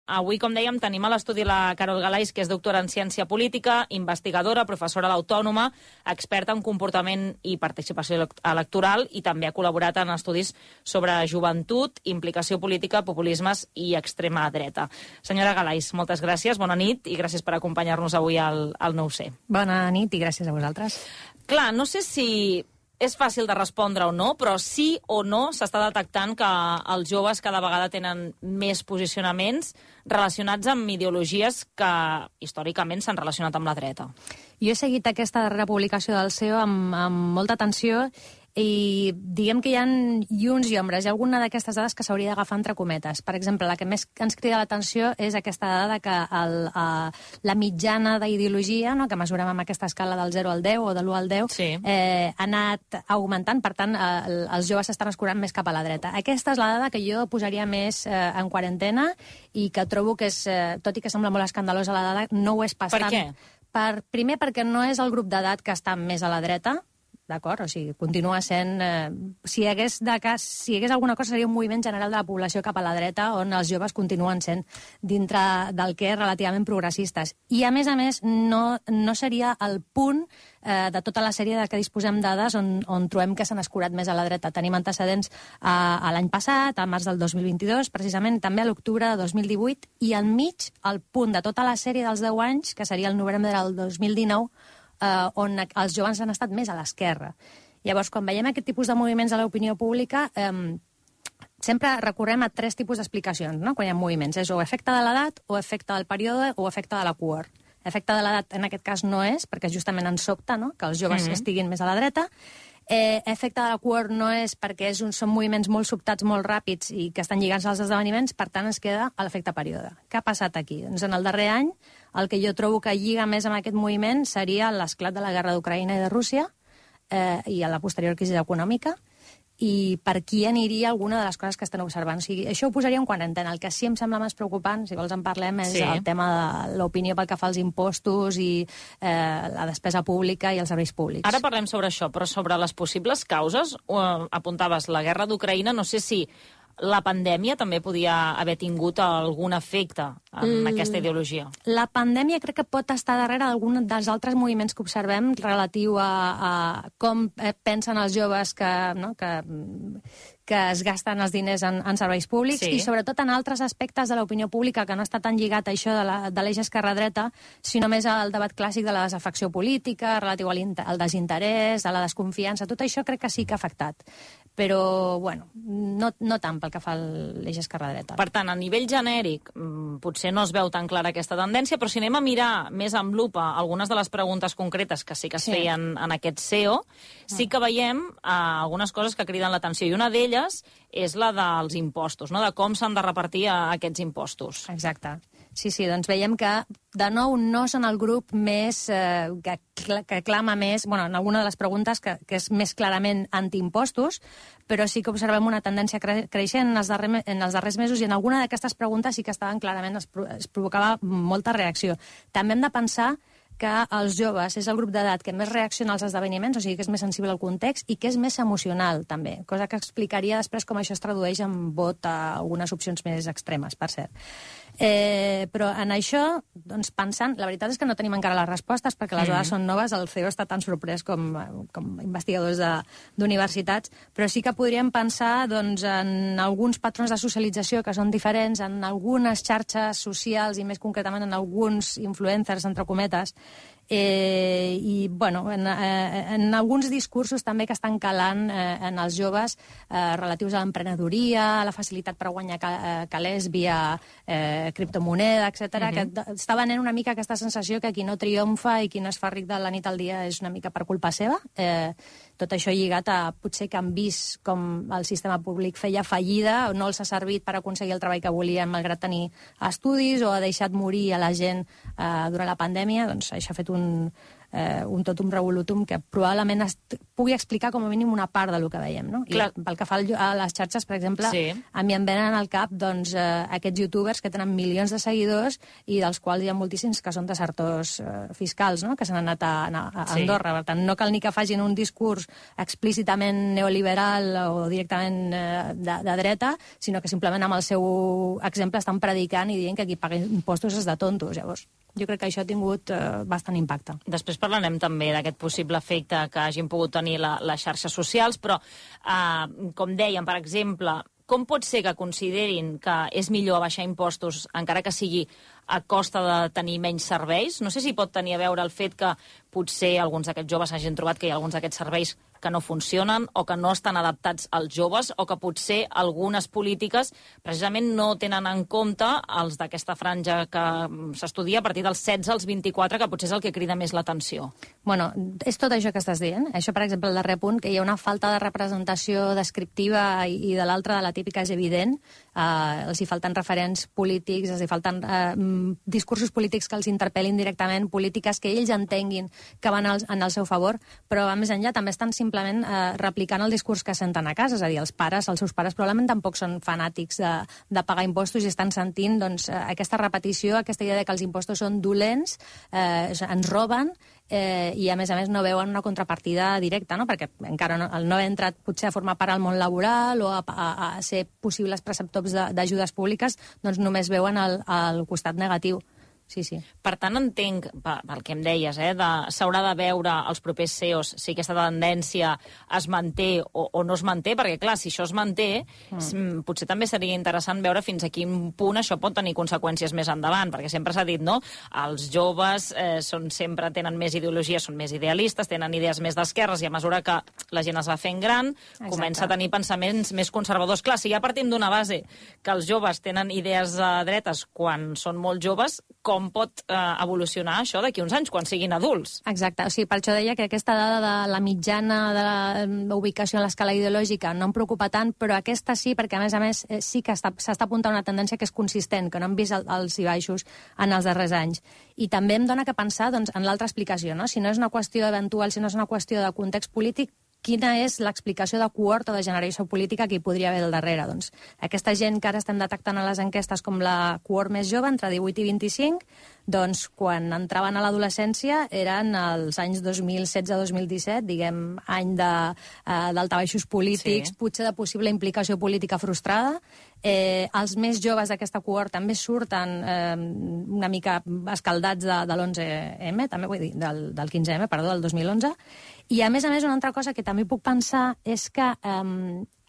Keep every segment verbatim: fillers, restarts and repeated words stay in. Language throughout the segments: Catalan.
avui, com dèiem, tenim a l'estudi la Carol Galais, que és doctora en ciència política, investigadora, professora a l'Autònoma, experta en comportament i participació electoral, i també ha col·laborat en estudis sobre joventut, implicació política, populismes i extrema dreta. Senyora Galais, moltes gràcies, bona nit, i gràcies per acompanyar-nos avui al, al nou C. Bona nit i gràcies a vosaltres. Clar, no sé si és fàcil de respondre o no, però sí o no s'està detectant que els joves cada vegada tenen més posicionaments relacionats amb ideologies que històricament s'han relacionat amb la dreta. Jo he seguit aquesta darrera publicació del C E O amb, amb molta atenció i diguem que hi ha llums i ombres. Hi ha alguna d'aquestes dades que s'hauria d'agafar entre cometes. Per exemple, la que més ens crida l'atenció és aquesta dada que el, uh, la mitjana d'ideologia, no, que mesurem amb aquesta escala del zero al deu o de l'u al deu, sí. eh, ha anat augmentant, per tant, eh, els joves s'estan escurant més cap a la dreta. Aquesta és la dada que jo posaria més eh, en quarantena i que trobo que és, eh, tot i que sembla molt escandalosa la dada, no ho és pas tant. Per què? Per, primer, perquè no és el grup d'edat que està més a la dreta, d'acord? O sigui, continua sent... Eh, si, hi hagués de cas, si hi hagués alguna cosa, seria un moviment general de la població cap a la dreta, on els joves continuen sent dintre del que és relativament progressistes. I, a més a més, no, no seria el punt eh, de tota la sèrie de què disposem dades on, on trobem que s'han escurat més a la dreta. Tenim antecedents a, a l'any passat, a març del dos mil vint-i-dos, precisament també a l'octubre de dos mil divuit, i al mig, el punt de tota la sèrie dels deu anys, que seria el novembre del dos mil dinou, Uh, on els joves han estat més a l'esquerra. Llavors, quan veiem aquest tipus de moviments a l'opinió pública, um, sempre recorrem a tres tipus d'explicacions, no?, quan hi ha moviments. És o efecte de l'edat, o efecte del període, o efecte de la cohort. Efecte de l'edat, en aquest cas, no és, perquè justament ens sobta, no?, que els joves mm-hmm. estiguin més a la dreta. Eh, efecte de la cohort no és perquè és un, són moviments molt sobtats, molt ràpids i que estan lligats als esdeveniments, per tant ens queda l'efecte període. Què ha passat aquí? Doncs en el darrer any el que jo trobo que lliga més amb aquest moviment seria l'esclat de la guerra d'Ucraïna i de Rússia eh, i a la posterior crisi econòmica, i per qui aniria alguna de les coses que estan observant. O sigui, això ho posaria en quarantena. El que sí em sembla més preocupant, si vols en parlem, és sí. el tema de l'opinió pel que fa als impostos i eh, la despesa pública i els serveis públics. Ara parlem sobre això, però sobre les possibles causes, eh, apuntaves la guerra d'Ucraïna, no sé si la pandèmia també podia haver tingut algun efecte en mm, aquesta ideologia. La pandèmia crec que pot estar darrere d'algun dels altres moviments que observem relatiu a, a com pensen els joves que, no, que, que es gasten els diners en, en serveis públics sí. i sobretot en altres aspectes de l'opinió pública que no està tan lligat a això de l'eix esquerra-dreta, sinó més al debat clàssic de la desafecció política, relatiu al desinterès, a la desconfiança. Tot això crec que sí que ha afectat. Però, bueno, no, no tant pel que fa a l'eix esquerra-dreta. Per tant, a nivell genèric, potser no es veu tan clara aquesta tendència, però si anem a mirar més amb lupa algunes de les preguntes concretes que sí que es sí. feien en aquest C E O, sí que veiem eh, algunes coses que criden l'atenció, i una d'elles és la dels impostos, no?, de com s'han de repartir aquests impostos. Exacte. Sí, sí, doncs veiem que, de nou, no són el grup més eh, que, que clama més, bueno, en alguna de les preguntes que, que és més clarament antiimpostos, però sí que observem una tendència cre creixent en els, darrer, en els darrers mesos, i en alguna d'aquestes preguntes sí que estaven clarament, es, es provocava molta reacció. També hem de pensar que els joves és el grup d'edat que més reacciona als esdeveniments, o sigui que és més sensible al context i que és més emocional, també, cosa que explicaria després com això es tradueix en vot a algunes opcions més extremes, per cert. Eh, però en això, doncs, pensant, la veritat és que no tenim encara les respostes perquè les dades mm. són noves, el C E O està tan sorprès com, com investigadors d'universitats, però sí que podríem pensar, doncs, en alguns patrons de socialització que són diferents, en algunes xarxes socials i més concretament en alguns influencers, entre cometes, Eh, i bueno, en, eh, en alguns discursos també que estan calant eh, en els joves eh, relatius a l'emprenedoria, a la facilitat per guanyar ca, eh, calés via eh, criptomoneda, etcètera, uh-huh. que està venent una mica aquesta sensació que qui no triomfa i qui no es fa ric de la nit al dia és una mica per culpa seva. Eh, tot això lligat a potser que han vist com el sistema públic feia fallida, o no els ha servit per aconseguir el treball que volien malgrat tenir estudis, o ha deixat morir a la gent eh, durant la pandèmia, doncs això ha fet un un, eh, un totum revolutum que probablement pugui explicar com a mínim una part del que veiem, no? I Clar. pel que fa a les xarxes, per exemple, sí. a mi em venen al cap doncs, eh, aquests youtubers que tenen milions de seguidors i dels quals hi ha moltíssims que són desertors eh, fiscals, no? Que s'han anat a, a, a Andorra. Sí. Per tant, no cal ni que facin un discurs explícitament neoliberal o directament eh, de, de dreta, sinó que simplement amb el seu exemple estan predicant i dient que qui paga impostos és de tontos. Llavors, jo crec que això ha tingut eh, bastant impacte. Després parlarem també d'aquest possible efecte que hagin pogut tenir la, les xarxes socials, però, eh, com dèiem, per exemple, com pot ser que considerin que és millor abaixar impostos, encara que sigui a costa de tenir menys serveis? No sé si pot tenir a veure el fet que potser alguns d'aquests joves hagin trobat que hi ha alguns d'aquests serveis que no funcionen o que no estan adaptats als joves o que potser algunes polítiques precisament no tenen en compte els d'aquesta franja que s'estudia a partir dels setze als vint-i-quatre, que potser és el que crida més l'atenció. Bueno, és tot això que estàs dient. Això, per exemple, el darrer punt, que hi ha una falta de representació descriptiva i, i de l'altra, de la típica, és evident. Uh, els hi falten referents polítics, els hi falten uh, discursos polítics que els interpel·lin directament, polítiques que ells entenguin que van al, en el seu favor, però a més enllà també estan simplement eh, replicant el discurs que senten a casa, és a dir, els pares, els seus pares probablement tampoc són fanàtics de, de pagar impostos i estan sentint doncs, aquesta repetició, aquesta idea de que els impostos són dolents, eh, ens roben, eh, i a més a més no veuen una contrapartida directa, no? Perquè encara no, el no haver entrat potser a formar part al món laboral o a, a, a ser possibles preceptors d'ajudes públiques, doncs només veuen el, el costat negatiu. Sí, sí. Per tant, entenc, pel que em deies, eh, de, s'haurà de veure els propers C E Os si aquesta tendència es manté o, o no es manté, perquè, clar, si això es manté, mm. potser també seria interessant veure fins a quin punt això pot tenir conseqüències més endavant, perquè sempre s'ha dit, no?, els joves eh, són, sempre tenen més ideologia, són més idealistes, tenen idees més d'esquerres, i a mesura que la gent es va fent gran, Exacte. Comença a tenir pensaments més conservadors. Clar, si ja partim d'una base que els joves tenen idees eh, dretes quan són molt joves, com pot eh, evolucionar això d'aquí uns anys, quan siguin adults. Exacte, o sigui, per això deia que aquesta dada de la mitjana de l'ubicació a l'escala ideològica no em preocupa tant, però aquesta sí, perquè a més a més eh, sí que s'està apuntant una tendència que és consistent, que no hem vist el, els i baixos en els darrers anys. I també em dona que pensar doncs, en l'altra explicació, no? Si no és una qüestió eventual, si no és una qüestió de context polític, quina és l'explicació de cohort o de generació política que hi podria haver al darrere? Doncs aquesta gent que ara estem detectant a les enquestes com la cohort més jove, entre divuit i vint-i-cinc, doncs quan entraven a l'adolescència eren els anys dos mil setze a dos mil disset, diguem, any d'altabaixos uh, polítics, sí. Potser de possible implicació política frustrada. Eh, els més joves d'aquesta cohort també surten eh, una mica escaldats de, de l'onze eme, també vull dir, del, del quinze eme, perdó, del dos mil onze. I, a més a més, una altra cosa que també puc pensar és que eh,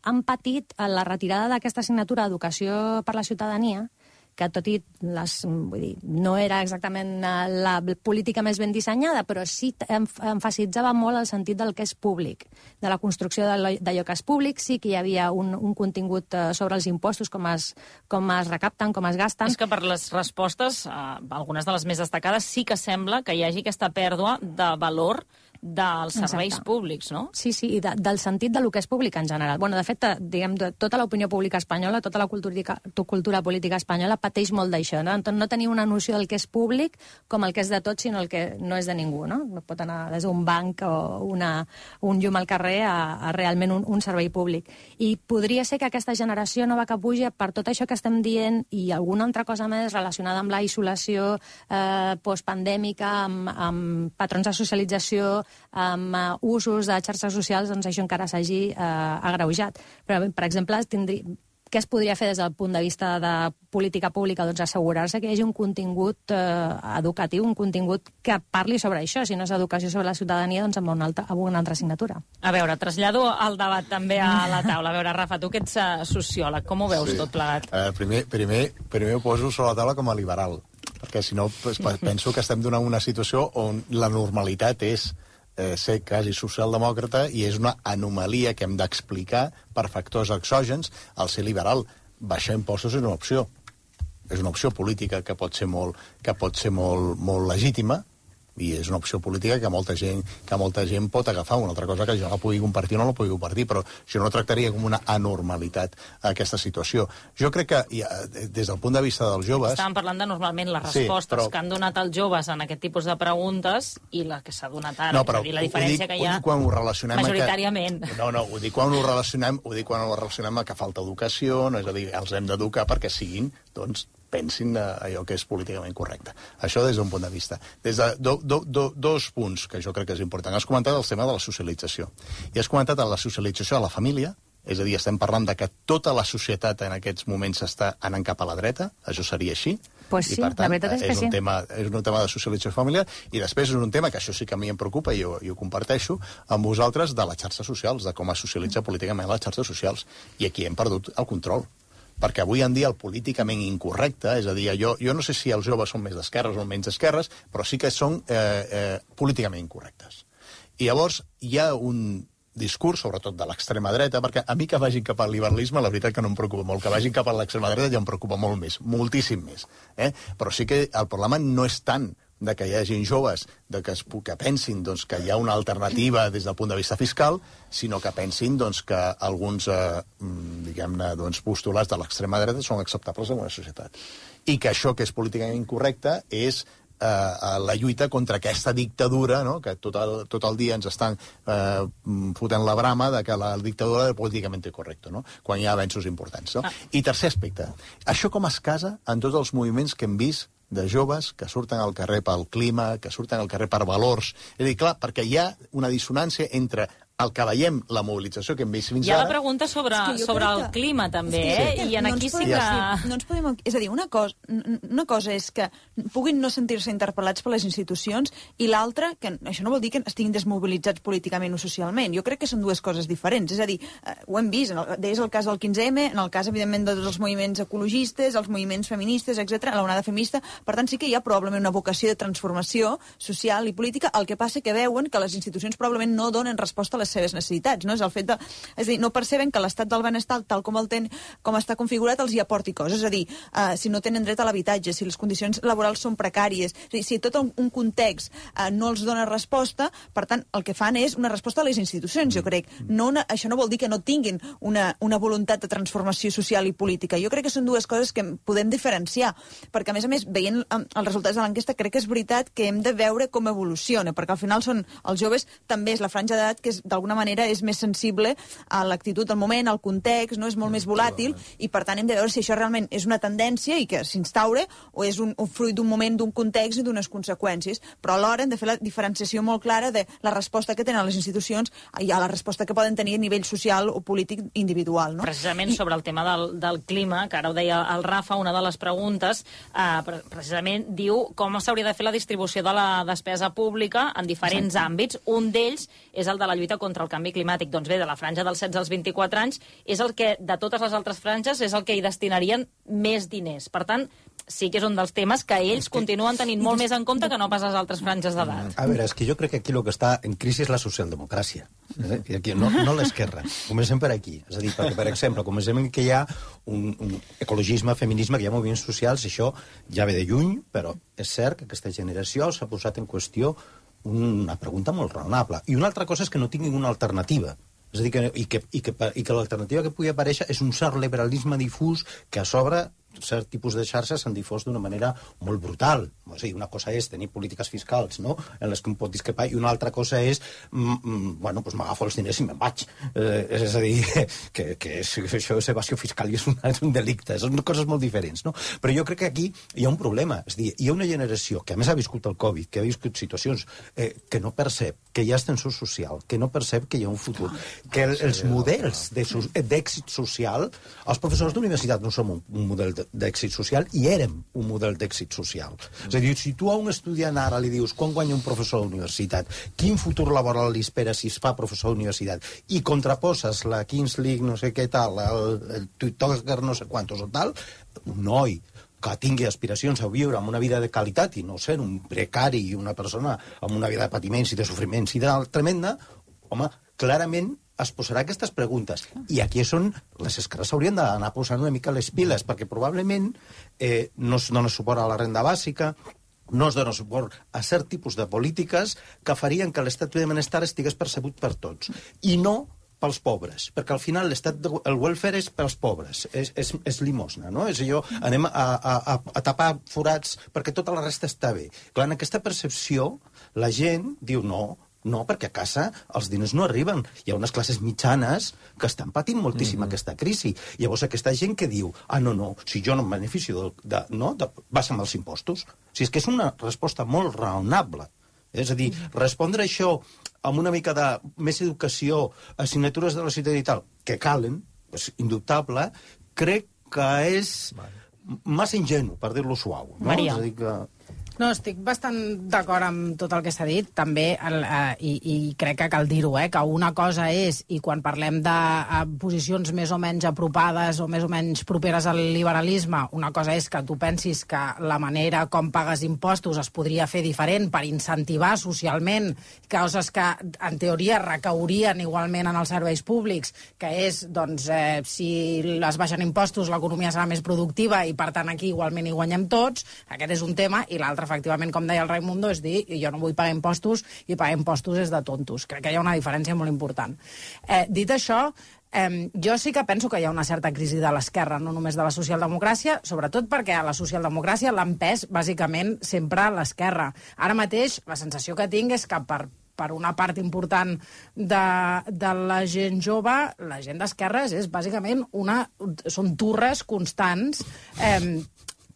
han patit la retirada d'aquesta assignatura d'Educació per la Ciutadania, que tot i les, vull dir, no era exactament la política més ben dissenyada, però sí emfasitzava molt el sentit del que és públic, de la construcció d'allò que és públic. Sí que hi havia un, un contingut sobre els impostos, com es, com es recapten, com es gasten. És que per les respostes, eh, algunes de les més destacades, sí que sembla que hi hagi aquesta pèrdua de valor dels serveis Exacte. Públics, no? Sí, sí, i de, del sentit de lo que és públic en general. Bueno, de fet, diguem, de, tota l'opinió pública espanyola, tota la cultura, cultura política espanyola pateix molt d'això, no? Entonces, no tenir una noció del que és públic com el que és de tot, sinó el que no és de ningú, no? No pot anar des d'un banc o una, un llum al carrer a, a realment un, un servei públic. I podria ser que aquesta generació nova que puja, per tot això que estem dient i alguna altra cosa més relacionada amb la isolació eh, postpandèmica, amb, amb patrons de socialització, amb uh, usos de xarxes socials, doncs això encara s'hagi uh, agreujat. Però, per exemple, tindria... què es podria fer des del punt de vista de política pública? Doncs assegurar-se que hi hagi un contingut eh, educatiu, un contingut que parli sobre això. Si no és educació sobre la ciutadania, doncs amb una altra, amb una altra assignatura. A veure, trasllado el debat també a la taula. A veure, Rafa, tu que ets uh, sociòleg, com ho veus sí. tot plegat? Uh, primer, primer, primer ho poso sobre la taula com a liberal, perquè si no pues, penso que estem donant una situació on la normalitat és Eh, ser quasi socialdemòcrata i és una anomalia que hem d'explicar per factors exògens. Al ser liberal, baixar impostos és una opció. És una opció política que pot ser molt, que pot ser molt, molt legítima, i és una opció política que molta gent que molta gent pot agafar. Una altra cosa que jo la pugui compartir o no la pugui compartir, però jo no tractaria com una anormalitat aquesta situació. Jo crec que, des del punt de vista dels joves... Estàvem parlant de normalment les respostes sí, però... que han donat els joves en aquest tipus de preguntes i la que s'ha donat ara. No, però és a dir, la diferència dic, que hi ha quan ho relacionem majoritàriament. Que... No, no, ho dic quan ho relacionem, ho dic quan ho relacionem a que falta educació, no? És a dir, els hem d'educar perquè siguin, doncs, pensin allò que és políticament correcte. Això des d'un punt de vista. Des de do, do, do, dos punts que jo crec que és important. Has comentat el tema de la socialització. I has comentat la socialització a la família, és a dir, estem parlant de que tota la societat en aquests moments està anant cap a la dreta, això seria així. Pues sí, I, per tant, la veritat és que és un sí. Tema, és un tema de socialització familiar, i després és un tema que això sí que a mi em preocupa, i jo, jo ho comparteixo amb vosaltres, de les xarxes socials, de com es socialitza políticament les xarxes socials. I aquí hem perdut el control. Perquè avui en dia el políticament incorrecte, és a dir, jo, jo no sé si els joves són més d'esquerres o menys d'esquerres, però sí que són eh, eh, políticament incorrectes. I llavors hi ha un discurs, sobretot de l'extrema dreta, perquè a mi que vagin cap al liberalisme, la veritat que no em preocupa molt, que vagin cap a l'extrema dreta ja em preocupa molt més, moltíssim més. Eh? Però sí que el problema no és tant de que hi hagin joves de que, es, que pensin doncs, que hi ha una alternativa des del punt de vista fiscal, sinó que pensin doncs, que alguns eh, diguem-ne doncs, postulats de l'extrema dreta són acceptables en una societat. I que això que és políticament incorrecte és eh, la lluita contra aquesta dictadura, no? Que tot el, tot el dia ens estan eh, fotent la brama de que la dictadura és políticament correcta, no? Quan hi ha avenços importants. No? Ah. I tercer aspecte, això com es casa en tots els moviments que hem vist de joves que surten al carrer pel clima, que surten al carrer per valors. És a dir, clar, perquè hi ha una dissonància entre el que veiem, la mobilització que hem vist fins ara... Hi ha ara... la pregunta sobre, sobre el que... clima, també, és que, eh? És que I en no aquí sí podem, que... No ens podem... És a dir, una cosa, una cosa és que puguin no sentir-se interpel·lats per les institucions i l'altra, que això no vol dir que estiguin desmobilitzats políticament o socialment. Jo crec que són dues coses diferents. És a dir, eh, ho hem vist, en el, és el cas del quinze eme, en el cas, evidentment, de tots els moviments ecologistes, els moviments feministes, etcètera, la onada feminista. Per tant, sí que hi ha probablement una vocació de transformació social i política, el que passa que veuen que les institucions probablement no donen resposta a les seves necessitats. No? És el fet de, és a dir, no perceben que l'estat del benestar, tal com el ten, com està configurat, els hi aporti coses. És a dir, uh, si no tenen dret a l'habitatge, si les condicions laborals són precàries, és a dir, si tot un, un context uh, no els dona resposta, per tant, el que fan és una resposta a les institucions, jo crec. No una, això no vol dir que no tinguin una, una voluntat de transformació social i política. Jo crec que són dues coses que podem diferenciar, perquè, a més a més, veient um, els resultats de l'enquesta, crec que és veritat que hem de veure com evoluciona, perquè al final són els joves, també és la franja d'edat que d'alguna manera és més sensible a l'actitud del moment, al context, no és molt més volàtil, i per tant hem de veure si això realment és una tendència i que s'instaure o és un, un fruit d'un moment, d'un context i d'unes conseqüències. Però alhora hem de fer la diferenciació molt clara de la resposta que tenen les institucions i a la resposta que poden tenir a nivell social o polític individual. No? Precisament I... sobre el tema del, del clima, que ara ho deia el Rafa, una de les preguntes eh, precisament diu com s'hauria de fer la distribució de la despesa pública en diferents Exacte. àmbits. Un d'ells és el de la lluita contra el canvi climàtic. Doncs bé, de la franja dels setze als vint-i-quatre anys, és el que, de totes les altres franges, és el que hi destinarien més diners. Per tant, sí que és un dels temes que ells que... continuen tenint molt més en compte que no pas les altres franges d'edat. A veure, és que jo crec que aquí el que està en crisi és la socialdemocràcia. Eh? I aquí, no, no l'esquerra. Comencem per aquí. És a dir, perquè, per exemple, comencem que hi ha un, un ecologisme, feminisme, que hi ha moviments socials, això ja ve de lluny, però és cert que aquesta generació s'ha posat en qüestió una pregunta molt raonable. I una altra cosa és que no tinguin una alternativa. És a dir, que, i que, i que, i que l'alternativa que pugui aparèixer és un cert liberalisme difús que a sobre cert tipus de xarxes s'han difós d'una manera molt brutal. O sigui, una cosa és tenir polítiques fiscals, no?, en les que un pot discrepar, i una altra cosa és mm, mm, bueno, doncs m'agafo els diners i me'n vaig. Eh, és a dir, que, que, és, que això és evasió fiscal i és, una, és un delicte. Són coses molt diferents, no? Però jo crec que aquí hi ha un problema. És a dir, hi ha una generació que a més ha viscut el Covid, que ha viscut situacions eh, que no percep que hi ha ascensor social, que no percep que hi ha un futur, que el, els models d'èxit social, els professors d'universitat no som un, un model d'èxit social i érem un model d'èxit social. És a dir, si tu a un estudiant ara li dius quan guanya un professor d'universitat, quin futur laboral li espera si es fa professor d'universitat, i contraposes la Kings League no sé què tal, el, el TikToker no sé quantos o tal, un noi que tingui aspiracions a viure amb una vida de qualitat i no ser un precari i una persona amb una vida de patiments i de sofriments i de tremenda, home, clarament es posarà aquestes preguntes. I aquí és on les esquerres s'haurien d'anar posant una mica les piles, perquè probablement eh, no es dona suport a la renda bàsica, no es dona suport a cert tipus de polítiques que farien que l'estat de benestar estigués percebut per tots. I no pels pobres, perquè al final l'estat de, el welfare és pels pobres, és, és, és limosna, no? És allò, anem a, a, a, a tapar forats perquè tota la resta està bé. Clar, en aquesta percepció, la gent diu no, no, perquè a casa els diners no arriben. Hi ha unes classes mitjanes que estan patint moltíssim mm-hmm. aquesta crisi. Llavors aquesta gent que diu, ah, no, no, si jo no em beneficio, de, de, no, de, vas amb els impostos. O sigui, és que és una resposta molt raonable. És a dir, respondre això amb una mica de més educació, assignatures de la ciutat i tal, que calen, és indubtable, crec que és massa ingenu, per dir-lo suau. No? Maria. És a dir que... No, estic bastant d'acord amb tot el que s'ha dit, també, el, eh, i, i crec que cal dir-ho, eh, que una cosa és, i quan parlem de eh, posicions més o menys apropades o més o menys properes al liberalisme, una cosa és que tu pensis que la manera com pagues impostos es podria fer diferent per incentivar socialment coses que, en teoria, recaurien igualment en els serveis públics, que és, doncs, eh, si es baixen impostos, l'economia serà més productiva i, per tant, aquí igualment hi guanyem tots. Aquest és un tema, i l'altre, efectivament, com deia el Raimundo, és dir, jo no vull pagar impostos i pagar impostos és de tontos. Crec que hi ha una diferència molt important. Eh, dit això, eh, jo sí que penso que hi ha una certa crisi de l'esquerra, no només de la socialdemocràcia, sobretot perquè a la socialdemocràcia l'ha empès, bàsicament, sempre a l'esquerra. Ara mateix, la sensació que tinc és que per per una part important de, de la gent jove, la gent d'esquerres és bàsicament una... són turres constants eh,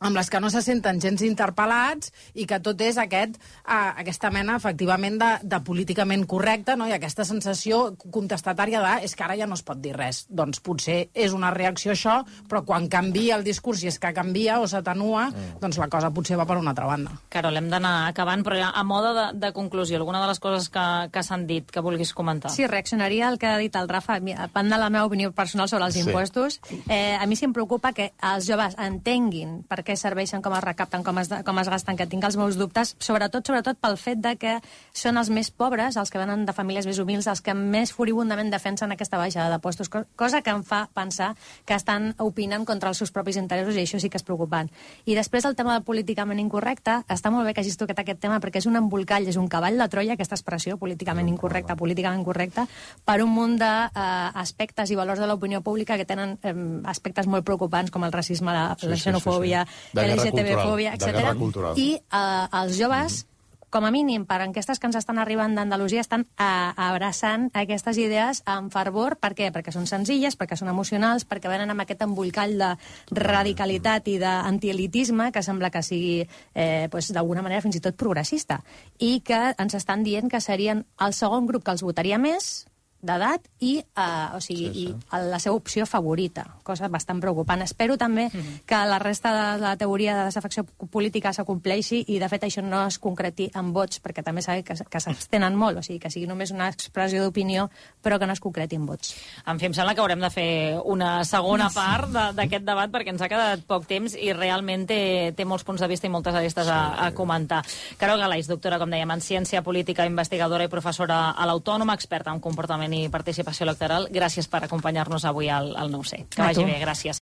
amb les que no se senten gens interpel·lats i que tot és aquest, uh, aquesta mena, efectivament, de, de políticament correcte, no? I aquesta sensació contestatària de és que ara ja no es pot dir res. Doncs potser és una reacció a això, però quan canvia el discurs, i és que canvia o s'atenua, mm. doncs la cosa potser va per una altra banda. Carol, hem d'anar acabant, però a mode de, de conclusió, alguna de les coses que, que s'han dit, que vulguis comentar? Sí, reaccionaria al que ha dit el Rafa, a part de la meva opinió personal sobre els sí. impostos. Eh, a mi sí em preocupa que els joves entenguin per què serveixen, com es recapten, com es, com es gasten, que tinc els meus dubtes, sobretot sobretot pel fet de que són els més pobres, els que venen de famílies més humils, els que més furibundament defensen aquesta baixada de postos, cosa que em fa pensar que estan opinant contra els seus propis interessos, i això sí que és preocupant. I després el tema del políticament incorrecte, està molt bé que hagis tocat aquest tema perquè és un embolcall, és un cavall de Troia, aquesta expressió, políticament incorrecta, políticament correcta, per un munt d'aspectes i valors de l'opinió pública que tenen eh, aspectes molt preocupants com el racisme, la, sí, la xenofòbia, sí, sí, sí. L G T B-fòbia, etcètera. I eh, els joves, mm-hmm. com a mínim, per enquestes que ens estan arribant d'Andalusia, estan a, abraçant aquestes idees amb fervor. Per què? Perquè són senzilles, perquè són emocionals, perquè venen amb aquest embolcall de radicalitat i d'antielitisme que sembla que sigui, eh, pues, d'alguna manera, fins i tot progressista. I que ens estan dient que serien el segon grup que els votaria més d'edat i, uh, o sigui, sí, sí. i la seva opció favorita, cosa bastant preocupant. Espero també mm-hmm. que la resta de la teoria de desafecció política s'acompleixi i, de fet, això no es concreti en vots, perquè també sabem que, que s'abstenen molt, o sigui, que sigui només una expressió d'opinió, però que no es concreti en vots. En fi, em sembla que haurem de fer una segona part d'aquest debat, perquè ens ha quedat poc temps i realment té, té molts punts de vista i moltes arestes a, a comentar. Carol Galaix, doctora, com dèiem, en ciència política, investigadora i professora a l'Autònoma, experta en comportament i participació electoral. Gràcies per acompanyar-nos avui al, al nou C. Que vagi bé, gràcies.